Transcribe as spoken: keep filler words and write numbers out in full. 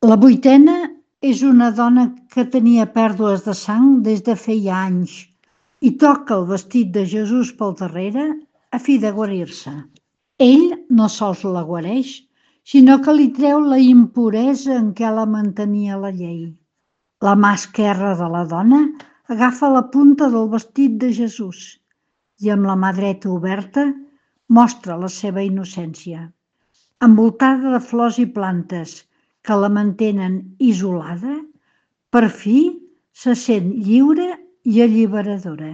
La vuitena és una dona que tenia pèrdues de sang des de feia anys i toca el vestit de Jesús pel darrere a fi de guarir-se. Ell no sols la guareix, sinó que li treu la impuresa en què la mantenia la llei. La mà esquerra de la dona agafa la punta del vestit de Jesús i amb la mà dreta oberta mostra la seva innocència. Envoltada de flors i plantes que la mantenen isolada, per fi se sent lliure i alliberadora.